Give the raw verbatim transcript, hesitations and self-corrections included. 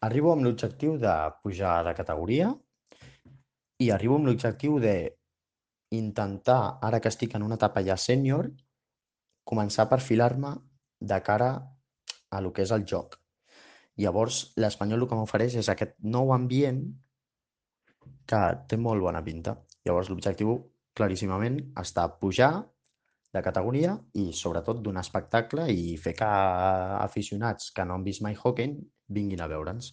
Arribo amb l'objectiu de pujar de categoria i arribo amb l'objectiu de intentar, ara que estic en una etapa ja sènior, començar a perfilar-me de cara a lo que és el joc. Llavors, l'Espanyol el que m'ofereix és aquest nou ambient que té molt bona pinta. Llavors, l'objectiu, claríssimament, està pujar de categoria i, sobretot, donar espectacle i fer que aficionats que no han vist mai hockey vinguin a veure'ns.